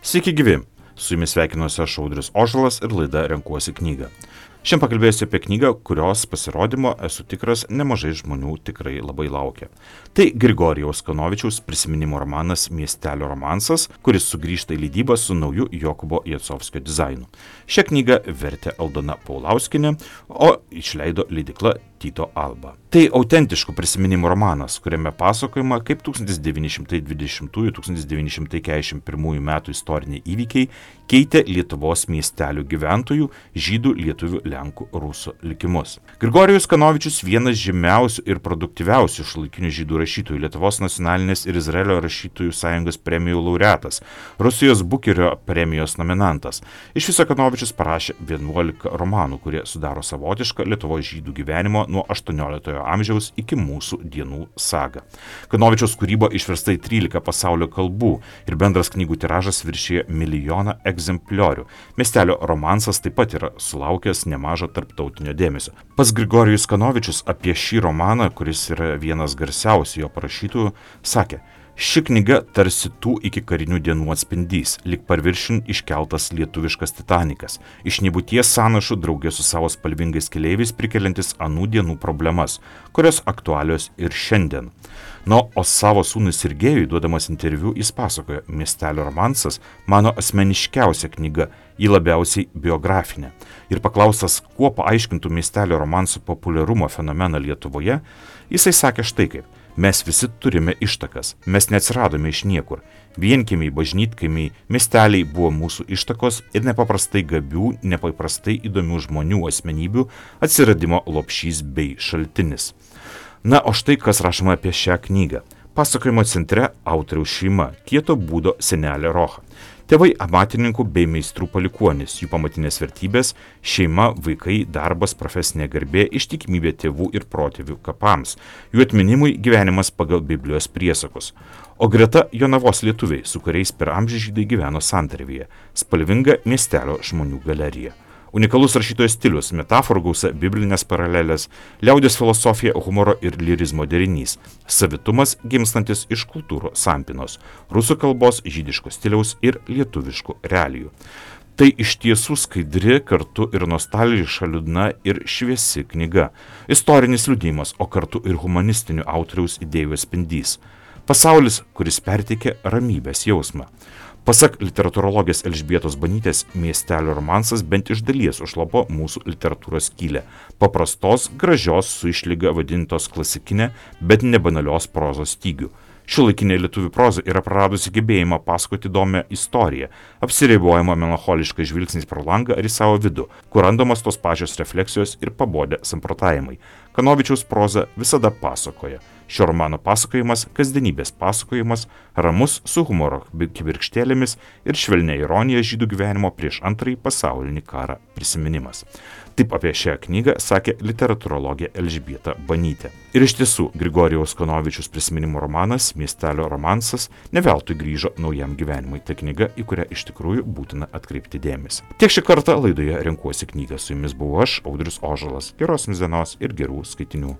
Sveiki gyvi, su jumis sveikinuosi aš Audrius Ožalas ir laida Renkuosi knygą. Šiandien pakalbėsiu apie knygą, kurios pasirodymo, esu tikras, nemažai žmonių tikrai labai laukia. Tai Grigorijaus Kanovičiaus prisiminimų romanas Miestelio romansas, kuris sugrįžta į leidybą su nauju Jokūbo Jacovskio dizainu. Šią knygą vertė Aldona Paulauskienė, o išleido leidykla Tyto Alba. Tai autentiškų prisiminimų romanas, kuriame pasakojama, kaip 1920-1941 metų istoriniai įvykiai keitė Lietuvos miestelių gyventojų, žydų, lietuvių, lenkų, rusų likimus. Grigorijus Kanovičius vienas žymiausių ir produktyviausių šiuolaikinių žydų rašytojų, Lietuvos nacionalinės ir Izraelio rašytojų sąjungos premijų laureatas, Rusijos Bukerio premijos nominantas. Iš viso Kanovičius parašė 11 romanų, kurie sudaro savotišką Lietuvos žydų gyvenimo nuo 18 amžiaus iki mūsų dienų sagą. Kanovičiaus kūryba išversta į 13 pasaulio kalbų ir bendras knygų tiražas viršija 1 milijoną egzempliorių. Miestelio romansas taip pat yra sulaukęs nemažo tarptautinio dėmesio. Pats Grigorijus Kanovičius apie šį romaną, kuris yra vienas garsiausių jo parašytų, sakė: ši knyga tarsi tų iki karinių dienų atspindys, lyg paviršiun iškeltas lietuviškas Titanikas, iš nebūties sąnašų draugė su savo spalvingais keleiviais prikeliantis anų dienų problemas, kurios aktualios ir šiandien. O savo sūnui Sergejui duodamas interviu jis pasakojo: Miestelio romansas mano asmeniškiausia knyga, ji labiausiai biografinė. Ir paklaustas, kuo paaiškintų Miestelio romansų populiarumo fenomeną Lietuvoje, jisai sakė štai kaip: mes visi turime ištakas, mes neatsiradome iš niekur. Vienkiemiai, bažnytkaimiai, miesteliai buvo mūsų ištakos ir nepaprastai gabių, nepaprastai įdomių žmonių asmenybių atsiradimo lopšys bei šaltinis. O štai kas rašoma apie šią knygą. Pasakojimo centre autoriaus šeima, kieto būdo senelė Rocha. Tėvai amatininkų bei meistrų palikuonis, jų pamatinės vertybės - šeima, vaikai, darbas, profesinė garbė, ištikimybė tėvų ir protėvių kapams, jų atminimui gyvenimas pagal Biblijos priesakus. O greta Jonavos lietuviai, su kuriais per amžių žydai gyveno santarvėje, spalvinga miestelio žmonių galerija. Unikalus rašytojo stilius, metaforų gausa, biblinės paralelės, liaudies filosofija, humoro ir lirizmo derinys, savitumas gimstantis iš kultūrų sampinos, rusų kalbos, žydiško stiliaus ir lietuviškų realijų. Tai iš tiesų skaidri, kartu ir nostalgiška, liūdna ir šviesi knyga. Istorinis liudijimas, o kartu ir humanistinių autoriaus idėjų atspindys. Pasaulis, kuris perteikia ramybės jausmą. Pasak literatūrologės Elžbietos Banytės, Miestelio romansas bent iš dalies užlopo mūsų literatūros skylę. Paprastos, gražios, su išlyga vadintos klasikinė, bet nebanalios prozos stygių. Šiuolaikinė lietuvių proza yra praradusi gebėjimą pasakoti įdomią istoriją, apsiribojama melancholiškai žvilgsniais pro langą ar į savo vidų, kur randamos tos pačios refleksijos ir pabodę samprotavimai. Kanovičiaus proza visada pasakoja. Šio romano pasakojimas - kasdienybės pasakojimas, ramus su humoro kibirkštėlėmis ir švelnia ironija žydų gyvenimo prieš Antrąjį pasaulinį karą prisiminimas. Taip apie šią knygą sakė literatūrologė Elžbieta Banytė. Ir iš tiesų, Grigorijaus Kanovičiaus prisiminimų romanas Miestelio romansas ne veltui grįžo naujam gyvenimui. Tai knyga, į kurią iš tikrųjų būtina atkreipti dėmesį. Tiek šį kartą laidoje Renkuosi knygą. Su jumis buvau aš, Audrius Ožalas. Geros jums dienos ir gerų skaitinių.